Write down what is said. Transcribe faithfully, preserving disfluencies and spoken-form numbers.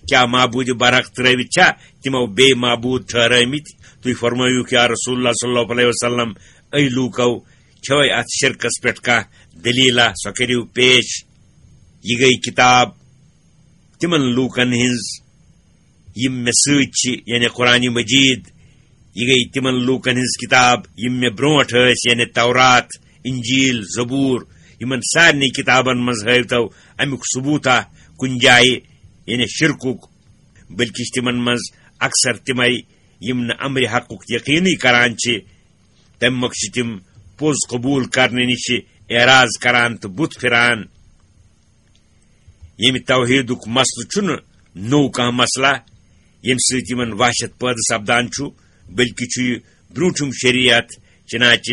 کیٛاہ معبوٗدِ برحق ترٲوِتھ چھا تِمو بیٚیہِ معبوٗد ٹھہرٲومٕتۍ؟ تُہۍ فرمٲیِو، یا رسول اللہ صلی اللہ علیہ وسلم، أہۍ لوٗکو چھوے اتھ شرکس پٮ۪ٹھ کانٛہہ دٔلیٖلہ؟ سۄ کٔرِو پیش۔ یہِ گٔے کِتاب تِمن لوٗکن ہٕنٛز، یِم مےٚ سۭتۍ چھِ، یعنی قرآن مجید۔ یہِ گٔے تِمن لوٗکن ہٕنٛز کِتاب، یِم مےٚ برونٛٹھ ٲسۍ، یعنی تورات، انجیل، زبور۔ یِمن سارنٕے کِتابن منٛز ہٲوتو امیُک ثبوٗتہ کُنہِ جایہِ، یعنی شرکُک، بلکہِ چھِ تِمن منٛز اکثر تِمے، یِم نہٕ امرِ حقُک یقینٕے کران چھِ۔ تمہِ مۄکھٕ چھِ تِم پوٚز قبوٗل کرنہٕ نِش اعراض کران تہٕ بُتھ پھِران۔ ییٚمہِ توحیٖدُک مسلہٕ چھُنہٕ نوٚو کانٛہہ مسلہٕ، ییٚمہِ سۭتۍ یِمن وحشت پٲدٕ سپدان چھُ، بلکہِ چھُ یہِ برٛونٛٹھِم شریعت۔ چنانچہ